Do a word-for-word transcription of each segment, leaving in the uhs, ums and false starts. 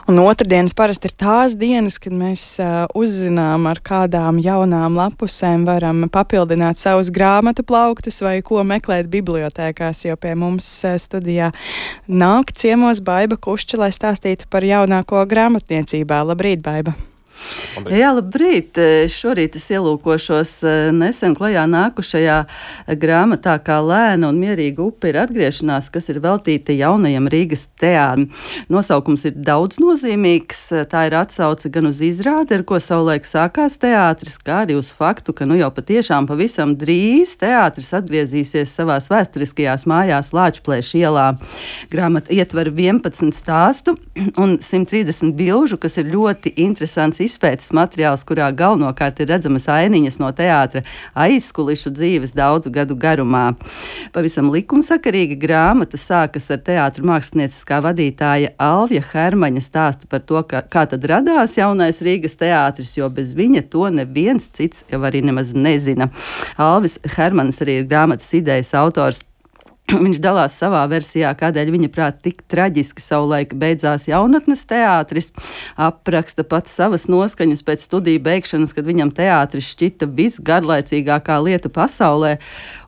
Un otrdienas parasti ir tās dienas, kad mēs uh, uzzinām, ar kādām jaunām lapusēm varam papildināt savus grāmatu plauktus vai ko meklēt bibliotēkās, jo pie mums uh, studijā nāk ciemos Baiba Kušča, lai stāstītu par jaunāko grāmatniecībā. Labrīt, Baiba! Labrīt. Jā, labrīt! Šorīt es ielūkošos nesen klajā nākušajā grāmatā Kā lēna un mierīga upe ir atgriešanās, kas ir veltīta jaunajam Rīgas teātrim. Nosaukums ir daudz nozīmīgs, tā ir atsauce gan uz izrādi, ar ko savulaik sākās teātris, kā arī uz faktu, ka nu jau patiešām pavisam drīz teātris atgriezīsies savās vēsturiskajās mājās Lāčplēša ielā. Grāmata ietver vienpadsmit stāstu un simt trīsdesmit bilžu, kas ir ļoti interesants izpētes materiāls, kurā galvenokārt ir redzamas ainiņas no teātra aizkulišu dzīves daudzu gadu garumā. Pavisam likumsakarīga grāmata sākas ar teātra mākslinieciskā vadītāja Alvija Hermaņa stāstu par to, ka, kā tad radās jaunais Rīgas teātris, jo bez viņa to neviens cits jau arī nemaz nezina. Alvis Hermanis arī ir grāmatas idejas autors. Viņš dalās savā versijā, kādēļ viņa prāt tik traģiski savulaik beidzās jaunatnes teātris, apraksta pats savas noskaņas pēc studiju beigšanas, kad viņam teātris šķita visgarlaicīgākā lieta pasaulē,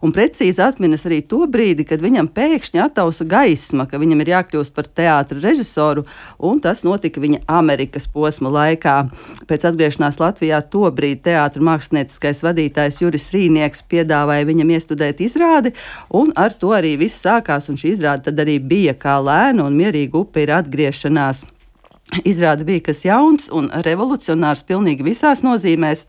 un precīzi atminas arī to brīdi, kad viņam pēkšņi attausa gaisma, ka viņam ir jākļūst par teātra režisoru, un tas notika viņa Amerikas posma laikā. Pēc atgriešanās Latvijā to brīdi teātra mākslinieckais vadītājs Juris Rīnieks piedāvāja viņam iestudēt izrādi, un ar to arī viss sākās, un šī izrāde tad arī bija Kā lēna un mierīga upe ir atgriešanās. Izrāde bija kas jauns un revolucionārs pilnīgi visās nozīmēs,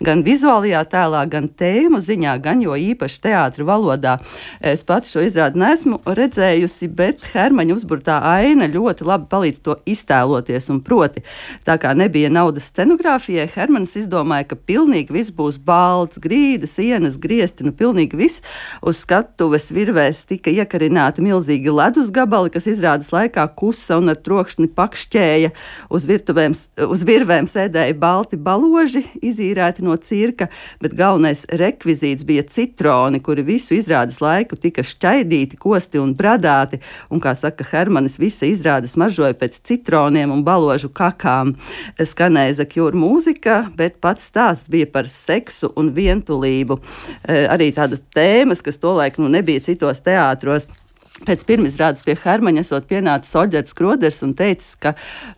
gan vizuālajā tēlā, gan tēmu ziņā, gan jo īpaši teātra valodā. Es pati šo izrādi neesmu redzējusi, bet Hermaņa uzburtā aina ļoti labi palīdz to iztēloties, un proti, tā kā nebija naudas scenogrāfijai, Hermanis izdomāja, ka pilnīgi viss būs balts, grīdas, sienas, griesti, nu pilnīgi viss. Uz skatuves virvēs tika iekarināti milzīgi ledus gabali, kas izrādes laikā kusa un ar trokšņi pakšķēja. Uz, virtuvēm, uz virvēm sēdēja balti baloži, izīrēti no cirka, bet galvenais rekvizīts bija citroni, kuri visu izrādes laiku tika šķaidīti, kosti un bradāti, un, kā saka Hermanis, visa izrāde smaržoja pēc citroniem un baložu kakām. Skanēja Zakjūra mūzika, bet pats stāsts bija par seksu un vientulību. Arī tāda tēmas, kas tolaik nu, nebija citos teātros. Pēc pirmizrādes pie Hermaņa esot pienācis Oļģerts Kroders un teicis, ka,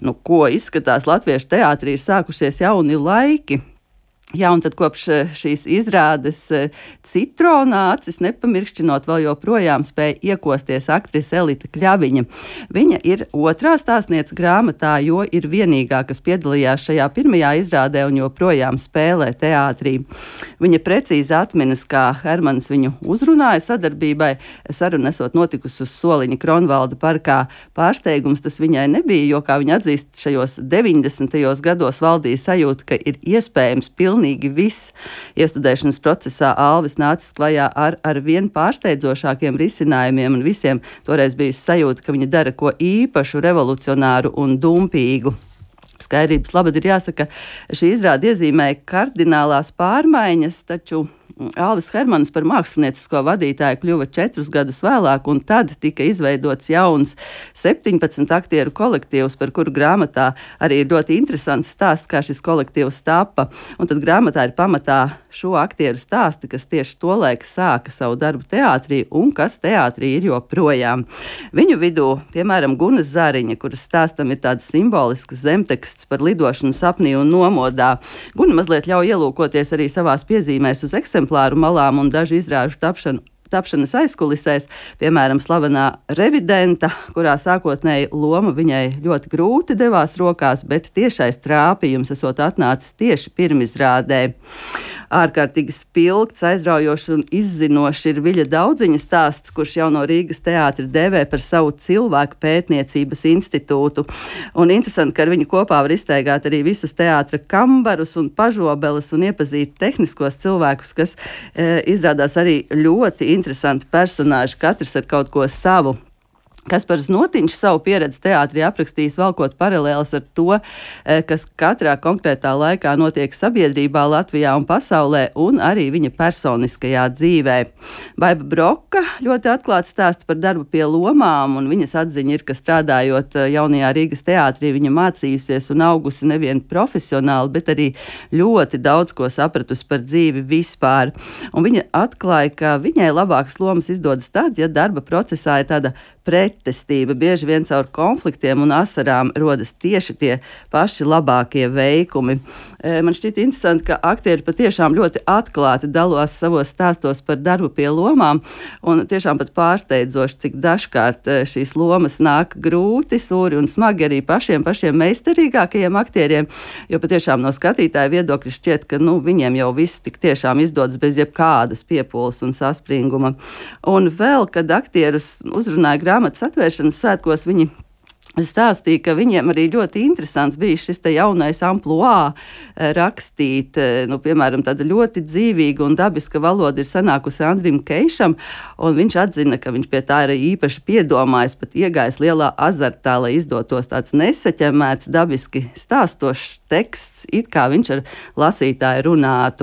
nu, ko izskatās latviešu teātrī, ir sākušies jauni laiki. Jā, un tad kopš šīs izrādes Citronā acis nepamirkšķinot vēl joprojām spēja iekosties aktrise Elita Kļaviņa. Viņa ir otrā stāstniece grāmatā, jo ir vienīgā, kas piedalījās šajā pirmajā izrādē un joprojām spēlē teātrī. Viņa precīzi atminas, kā Hermanis viņu uzrunāja sadarbībai, saruna esot notikusi uz Soliņa Kronvalda parkā. Pārsteigums tas viņai nebija, jo, kā viņa atzīst, šajos deviņdesmitajos gados valdīja sajūta, ka ir iespējams pilnīgi Pilnīgi viss. Iestudēšanas procesā Alvis nācis klajā ar, ar vien pārsteidzošākiem risinājumiem, un visiem toreiz bija sajūta, ka viņa dara ko īpašu, revolucionāru un dumpīgu. Skaidrības labad ir jāsaka, šī izrāde iezīmēja kardinālās pārmaiņas, taču Alvis Hermanis par māksliniecisko vadītāju kļuva četrus gadus vēlāk, un tad tika izveidots jauns septiņpadsmit aktieru kolektīvs, par kuru grāmatā arī ir ļoti interesants stāsts, kā šis kolektīvs tapa. Un tad grāmatā ir pamatā šo aktieru stāsti, kas tieši tolaik sāka savu darbu teātrī un kas teātrī ir joprojām. Viņu vidū, piemēram, Guna Zariņa, kuras stāstam ir tāds simbolisks zemteksts par lidošanu sapnī un nomodā. Guna mazliet ļauj ielūkoties arī savās piezīmēs uz eksemplāru malām un dažu izrāžu tapšanu. Tapšanas aizkulisēs, piemēram, slavenā revidenta, kurā sākotnēji loma viņai ļoti grūti devās rokās, bet tiešais trāpījums esot atnācis tieši pirmizrādē. Ārkārtīgi spilgts, aizraujošs un izzinošs ir Viļa Daudziņa stāsts, kurš jau no Rīgas teātra dēvē par savu cilvēku pētniecības institūtu. Un interesanti, ka ar viņu kopā var iztaigāt arī visus teātra kambarus un pažobeles un iepazīt tehniskos cilvēkus, kas e, izrādās arī ļoti interesanti personāži, katrs ar kaut ko savu. Kaspars Notiņš savu pieredzi teātrī aprakstījis, valkot paralēles ar to, kas katrā konkrētā laikā notiek sabiedrībā Latvijā un pasaulē, un arī viņa personiskajā dzīvē. Baiba Broka ļoti atklāti stāsta par darbu pie lomām, un viņas atziņa ir, ka strādājot jaunajā Rīgas teātrī, viņa mācījusies un augusi nevien profesionāli, bet arī ļoti daudz ko sapratusi par dzīvi vispār. Un viņa atklāja, ka viņai labākas lomas izdodas tad, ja darba procesā ir tāda pretestība. Bieži vien caur konfliktiem un asarām rodas tieši tie paši labākie veikumi. Man šķiet interesanti, ka aktieri patiešām ļoti atklāti dalās savos stāstos par darbu pie lomām, un tiešām pat pārsteidzoši, cik dažkārt šīs lomas nāk grūti, sūri un smagi arī pašiem pašiem meistarīgākajiem aktieriem, jo patiešām no skatītāja viedokļa šķiet, ka nu, viņiem jau viss tik tiešām izdodas bez jebkādas piepūles un saspringuma. Un vēl, kad aktierus uzrunāja grāmatas atvēršanas svētkos, viņi stāstīja, ka viņiem arī ļoti interesants bija šis te jaunais amplua rakstīt, nu, piemēram, tāda ļoti dzīvīga un dabiska valoda ir sanākusi Andrim Keišam, un viņš atzina, ka viņš pie tā ir īpaši piedomājis, pat iegājis lielā azartā, lai izdotos tāds nesaķemēts, dabiski stāstošs teksts, it kā viņš ar lasītāju runātu.